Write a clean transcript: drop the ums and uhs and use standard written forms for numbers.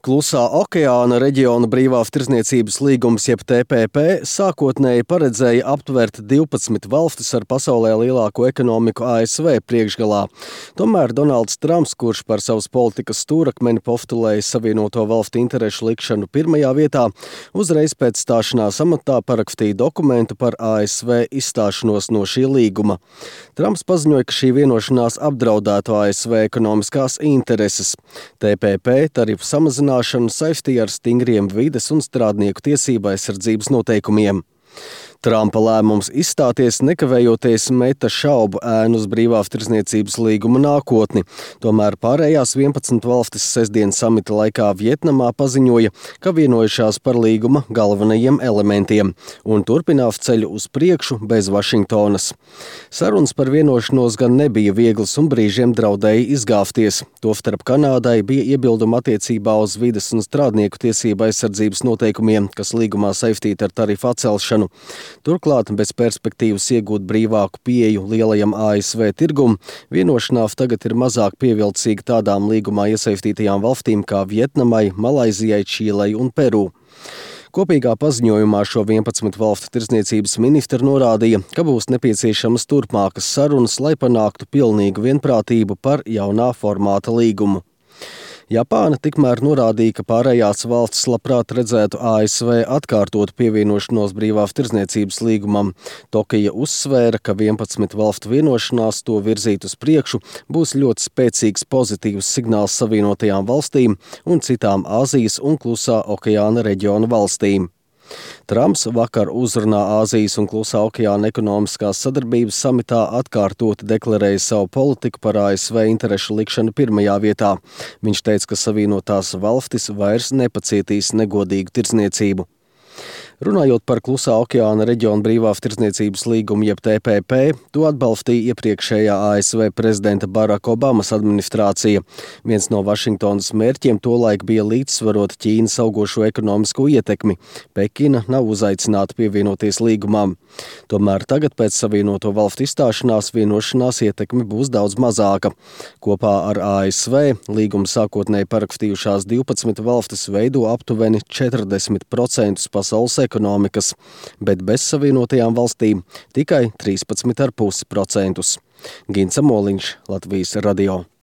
Klusā okeāna reģiona brīvās tirdzniecības līgums jeb TPP sākotnēji paredzēja aptvert 12 valstis ar pasaulē lielāko ekonomiku ASV priekšgalā. Tomēr Donalds Trumps, kurš par savas politikas stūrakmeni postulēja Savienoto Valstu interešu likšanu pirmajā vietā, uzreiz pēc stāšanās amatā parakstīja dokumentu par ASV izstāšanos no šī līguma. Trumps paziņoja, ka šī vienošanās apdraudētu ASV ekonomiskās intereses. TPP tarifu samazināšanu saistīja ar stingriem vides un strādnieku tiesību aizsardzības noteikumiem. Trumpa lēmums izstāties nekavējoties meta šaubu ēnu uz brīvās tirdzniecības līguma nākotni. Tomēr pārējās 11 valstis sestdien samita laikā Vietnamā paziņoja, ka vienojušās par līguma galvenajiem elementiem un turpinās ceļu uz priekšu bez Vašingtonas. Sarunas par vienošanos gan nebija vieglas un brīžiem draudēja izgāzties. Tostarp Kanādai bija iebildumi attiecībā uz vides un strādnieku tiesību aizsardzības noteikumiem, kas līgumā saistīti ar tarifu atcelšanu. Turklāt, bez perspektīvas iegūt brīvāku pieeju lielajam ASV tirgum, vienošanās tagad ir mazāk pievilcīga tādām līgumā iesaistītajām valstīm kā Vietnamai, Malaizijai, Čīlei un Peru. Kopīgā paziņojumā šo 11 valstu tirdzniecības ministri norādīja, ka būs nepieciešamas turpmākas sarunas, lai panāktu pilnīgu vienprātību par jaunā formāta līgumu. Japāna tikmēr norādīja, ka pārējās valstis labprāt redzētu ASV atkārtot pievienošanos brīvās tirdzniecības līgumam. Tokija uzsvēra, ka 11 valstu vienošanās to virzīt uz priekšu būs ļoti spēcīgs pozitīvs signāls Savienotajām valstīm un citām Āzijas un Klusā okeāna reģiona valstīm. Trumps vakar uzrunā Āzijas un Klusā okeāna ekonomiskās sadarbības samitā atkārtoti deklarēja savu politiku par ASV interešu likšanu pirmajā vietā. Viņš teica, ka Savienotās valstis vairs nepacietīs negodīgu tirdzniecību. Runājot par Klusā okeāna reģiona brīvās tirdzniecības līgumu jeb TPP, to atbalstīja iepriekšējā ASV prezidenta Baraka Obamas administrācija. Viens no Vašingtonas mērķiem tolaik bija līdzsvarot Ķīnas augošo ekonomisko ietekmi. Pekina nav uzaicināta pievienoties līgumam. Tomēr tagad pēc Savienoto Valstu izstāšanās vienošanās ietekme būs daudz mazāka. Kopā ar ASV līgumu sākotnēji parakstījušās 12 valstis veido aptuveni 40% pasaules ekonomikas, bet bez Savienotajām valstīm tikai 13,5%. Gints Amoliņš, Latvijas radio.